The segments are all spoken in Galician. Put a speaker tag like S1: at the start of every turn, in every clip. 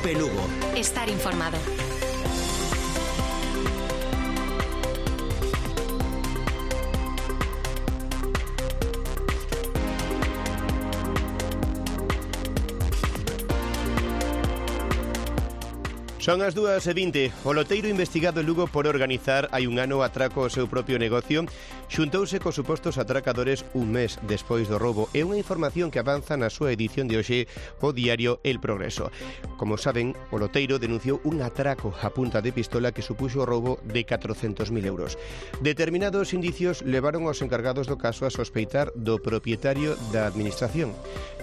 S1: Cope Lugo.
S2: Estar informado.
S3: Son as 2:20. O loteiro investigado en Lugo por organizar hai un ano atraco ao seu propio negocio xuntouse cos supostos atracadores un mes despois do roubo. É unha información que avanza na súa edición de hoxe o diario El Progreso. Como saben, o loteiro denunciou un atraco a punta de pistola que supuxo o roubo de 400.000 euros. Determinados indicios levaron aos encargados do caso a sospeitar do propietario da administración.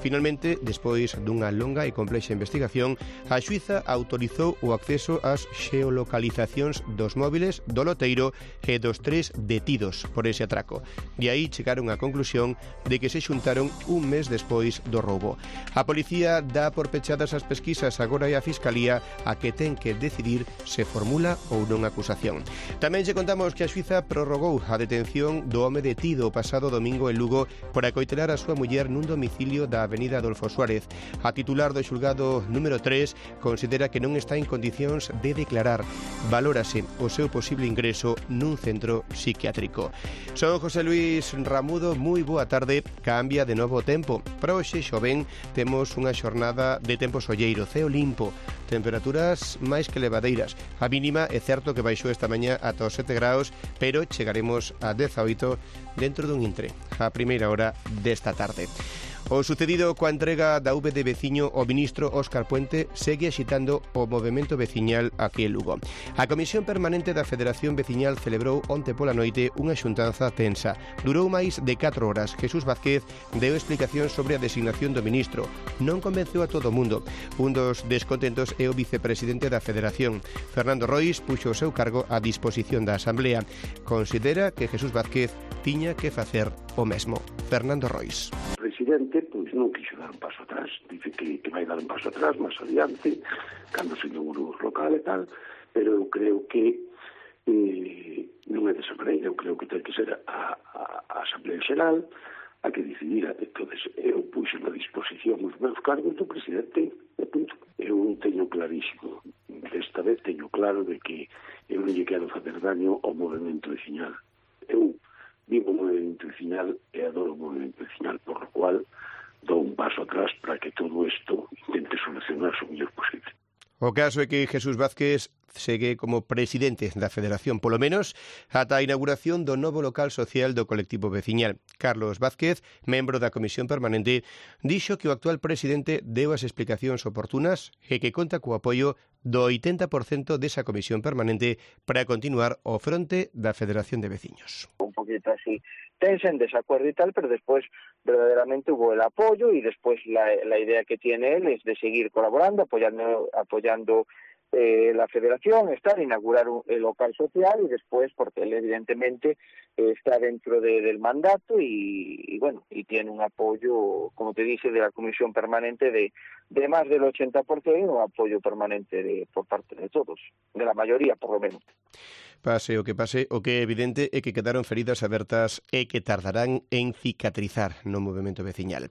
S3: Finalmente, despois dunha longa e complexa investigación, a xuíza autorizou o acceso ás xeolocalizacións dos móviles do loteiro e dos 3 detidos por ese atraco. De aí chegaron á conclusión de que se xuntaron un mes despois do roubo. A policía dá por pechadas as pesquisas, agora é a Fiscalía a que ten que decidir se formula ou non acusación. Tamén lle contamos que a xuíza prorrogou a detención do home detido o pasado domingo en Lugo por acoitelar a súa muller nun domicilio da Avenida Adolfo Suárez. A titular do xulgado número 3 considera que non está en condicións de declarar. Valórase o seu posible ingreso nun centro psiquiátrico. Son José Luis Ramudo, moi boa tarde. Cambia de novo o tempo. Para hoxe, xoven, temos unha xornada de tempo solleiro, ceo limpo, temperaturas máis que levadeiras. A mínima é certo que baixou esta mañá ata os 7 graus, pero chegaremos a 18 dentro dun intre, a primeira hora desta tarde. O sucedido coa entrega da V de veciño ao ministro Óscar Puente segue axitando o movemento veciñal aquí en Lugo. A Comisión Permanente da Federación Veciñal celebrou onte pola noite unha xuntanza tensa. Durou máis de 4 horas. Jesús Vázquez deu explicacións sobre a designación do ministro. Non convenceu a todo o mundo. Un dos descontentos é o vicepresidente da Federación. Fernando Rois puxo o seu cargo a disposición da Asamblea. Considera que Jesús Vázquez tiña que facer o mesmo. Fernando Rois.
S4: O presidente non quixo dar un paso atrás, dice que vai dar un paso atrás máis adiante, cando se inaugurou o local e tal, pero eu creo que non é desa maneira. Eu creo que ten que ser a Asamblea Xeral a que decidira. Entonces, eu puxo na disposición os meus cargos do presidente e punto. Eu teño clarísimo, desta vez teño claro de que eu non lle quero facer daño ao movimento veciñal. Eu vivo o movimento veciñal e adoro o movimento veciñal, por lo cual dou un paso atrás para que todo isto intente solucionar o mellor posible.
S3: O caso é que Jesús Vázquez segue como presidente da Federación, polo menos ata a inauguración do novo local social do colectivo veciñal. Carlos Vázquez, membro da Comisión Permanente, dixo que o actual presidente deu as explicacións oportunas e que conta co apoio do 80% desa Comisión Permanente para continuar ao fronte da Federación de Veciños.
S5: Un poquito así tensa, en desacuerdo y tal, pero después verdaderamente hubo el apoyo y después la idea que tiene él es de seguir colaborando, apoyando la federación, inaugurar el local social y después, porque él evidentemente está dentro del mandato y bueno, y tiene un apoyo, como te dice, de la Comisión Permanente de más del 80%, un apoyo permanente por parte de todos, de la mayoría por lo menos.
S3: Pase, o que é evidente é que quedaron feridas abertas e que tardarán en cicatrizar no movemento veciñal.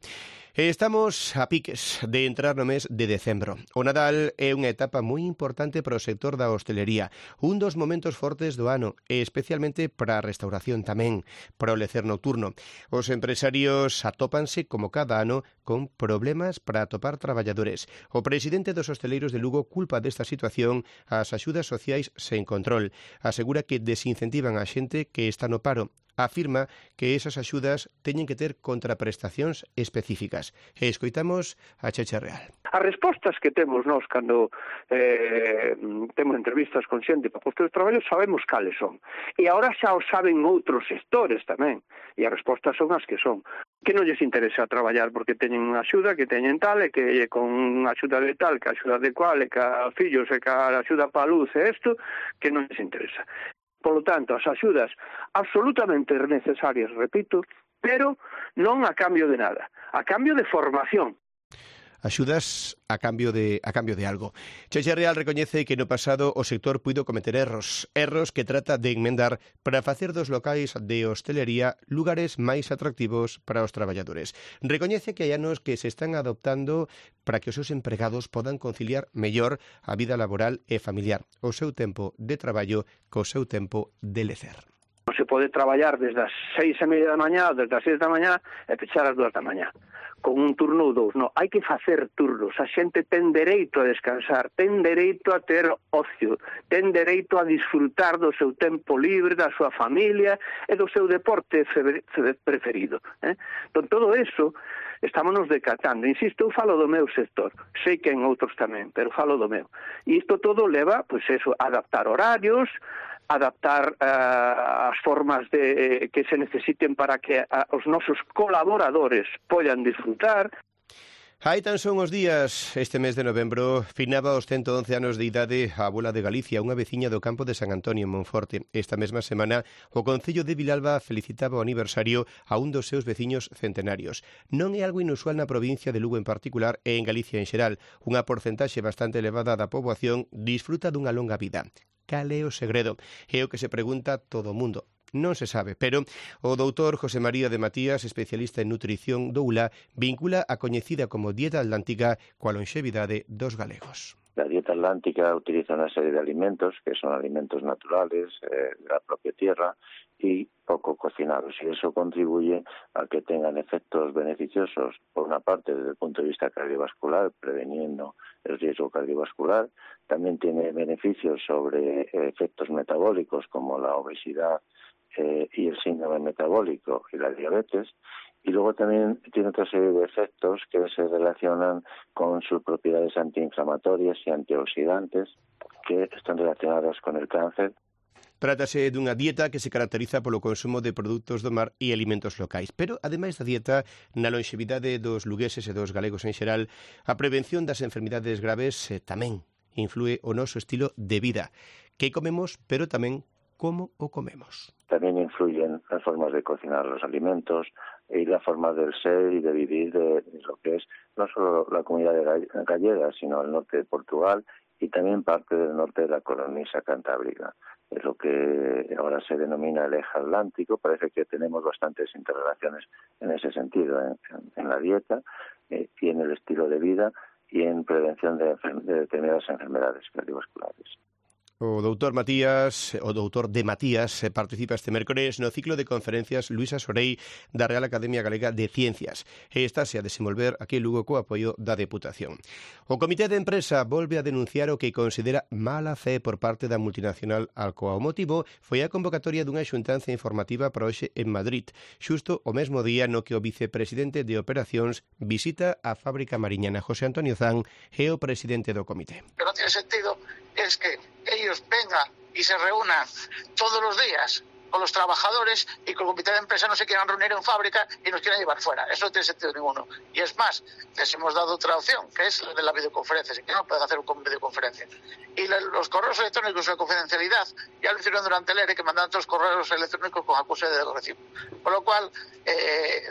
S3: Estamos a piques de entrar no mes de decembro. O Nadal é unha etapa moi importante para o sector da hostelería, un dos momentos fortes do ano e especialmente para a restauración tamén, para o lecer nocturno. Os empresarios atópanse como cada ano con problemas para atopar traballadores. O presidente dos hosteleiros de Lugo culpa desta situación ás axudas sociais sen control. Asegura que desincentivan a xente que está no paro. Afirma que esas axudas teñen que ter contraprestacións específicas. E escoitamos a Cheche Real.
S6: As respostas que temos nós cando temos entrevistas con xente para postos de traballo sabemos cales son. E agora xa o saben outros sectores tamén. E as respostas son as que son. Que non lles interesa traballar porque teñen unha axuda, que teñen tal, e que con unha axuda de tal, que a axuda de cual, e que a fillos, e que a axuda para a luz, e isto, que non lles interesa. Polo tanto, as axudas absolutamente necesarias, repito, pero non a cambio de nada, a cambio de formación.
S3: axudas a cambio de algo. Cheche Real recoñece que no pasado o sector puido cometer erros que trata de enmendar para facer dos locais de hostelería lugares máis atractivos para os traballadores. Recoñece que hai anos que se están adoptando para que os seus empregados podan conciliar mellor a vida laboral e familiar, o seu tempo de traballo co seu tempo de lecer.
S6: Non se pode traballar desde as 6:30 da mañá ou desde as 6 da mañá e pechar as 2 da mañá con un turno ou dous. Non, hai que facer turnos. A xente ten dereito a descansar, ten dereito a ter ocio, ten dereito a disfrutar do seu tempo libre, da súa familia e do seu deporte preferido. Entón, todo eso estámonos decatando. Insisto, eu falo do meu sector, sei que en outros tamén, pero falo do meu. E isto todo leva, pois eso, a adaptar horarios, adaptar as formas que se necesiten para que os nosos colaboradores poidan disfrutar.
S3: Hai tan son os días, este mes de novembro, finaba os 111 anos de idade a abuela de Galicia, unha veciña do campo de San Antonio en Monforte. Esta mesma semana, o Concello de Vilalba felicitaba o aniversario a un dos seus veciños centenarios. Non é algo inusual na provincia de Lugo en particular e en Galicia en xeral. Unha porcentaxe bastante elevada da poboación disfruta dunha longa vida. Cal é o segredo? É o que se pregunta todo o mundo. Non se sabe, pero o doutor José María de Matías, especialista en nutrición do ULA, vincula a coñecida como dieta atlántica coa lonxevidade dos galegos.
S1: La dieta atlántica utiliza una serie de alimentos que son alimentos naturales de la propia tierra y poco cocinados, y eso contribuye a que tengan efectos beneficiosos, por una parte desde el punto de vista cardiovascular, preveniendo el riesgo cardiovascular. También tiene beneficios sobre efectos metabólicos como la obesidad y el síndrome metabólico y la diabetes. Y luego también tiene otra serie de efectos que se relacionan con sus propiedades antiinflamatorias y antioxidantes que están relacionadas con el cáncer.
S3: Trátase dunha dieta que se caracteriza polo consumo de produtos do mar e alimentos locais. Pero, ademais da dieta, na lonxevidade dos lugueses e dos galegos en xeral, a prevención das enfermidades graves tamén influe o noso estilo de vida. Que comemos, pero tamén como o comemos.
S1: También influyen las formas de cocinar los alimentos y la forma del ser y de vivir de lo que es no solo la comunidad gallega, sino el norte de Portugal y también parte del norte de la cornisa cantábrica. Es lo que ahora se denomina el eje atlántico. Parece que tenemos bastantes interrelaciones en ese sentido, en la dieta y en el estilo de vida y en prevención de determinadas enfermedades cardiovasculares.
S3: O doutor de Matías participa este mércores no ciclo de conferencias Luisa Sorei da Real Academia Galega de Ciencias. E estase a desenvolver aquí en Lugo co apoio da Deputación. O Comité de Empresa volve a denunciar o que considera mala fe por parte da multinacional Alcoa. O motivo foi a convocatoria dunha xuntanza informativa para hoxe en Madrid, xusto o mesmo día no que o vicepresidente de Operacións visita a fábrica mariñana. José Antonio Zan é o presidente do comité.
S2: Pero non tiene sentido es que ellos vengan y se reúnan todos los días con los trabajadores y con el comité de empresa no se quieran reunir en fábrica y nos quieran llevar fuera. Eso no tiene sentido ninguno. Y es más, les hemos dado otra opción, que es la de la videoconferencia, que no pueden hacer con videoconferencia. Y los correos electrónicos de confidencialidad ya lo hicieron durante el ERE, que mandaban todos los correos electrónicos con acuse de recibo. Con lo cual,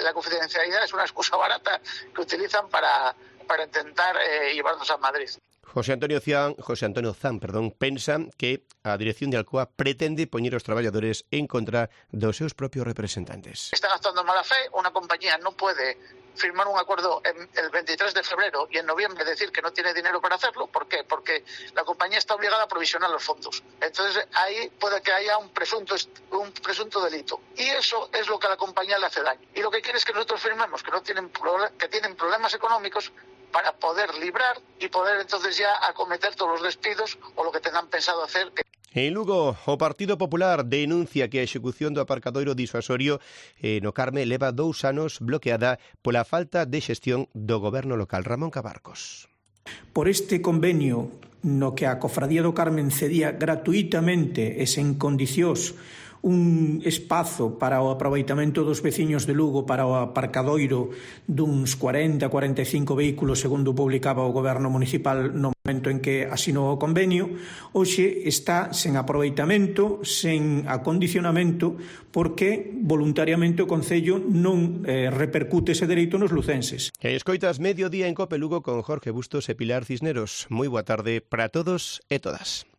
S2: la confidencialidad es una excusa barata que utilizan para intentar llevarnos a Madrid.
S3: José Antonio Zan, pensa que a dirección de Alcoa pretende poñer os traballadores en contra dos seus propios representantes.
S2: Están actuando en mala fe. Una compañía no puede firmar un acuerdo el 23 de febrero y en noviembre decir que no tiene dinero para hacerlo. ¿Por qué? Porque la compañía está obligada a provisionar los fondos. Entonces ahí puede que haya un presunto delito. Y eso es lo que a la compañía le hace daño. Y lo que quiere es que nosotros firmemos que tienen problemas económicos para poder librar y poder entonces ya acometer todos los despidos o lo que tengan pensado hacer.
S3: En Lugo, o Partido Popular denuncia que a execución do aparcadoiro disuasorio no Carme leva 2 anos bloqueada pola falta de xestión do goberno local. Ramón Cabarcos.
S7: Por este convenio no que a Cofradía do Carmen cedía gratuitamente e sen condicións un espazo para o aproveitamento dos veciños de Lugo para o aparcadoiro duns 40-45 vehículos, segundo publicaba o Goberno Municipal no momento en que asinou o convenio, hoxe está sen aproveitamento, sen acondicionamento, porque voluntariamente o Concello non repercute ese dereito nos lucenses.
S3: E escoitas Mediodía en Cope Lugo con Jorge Bustos e Pilar Cisneros. Moi boa tarde para todos e todas.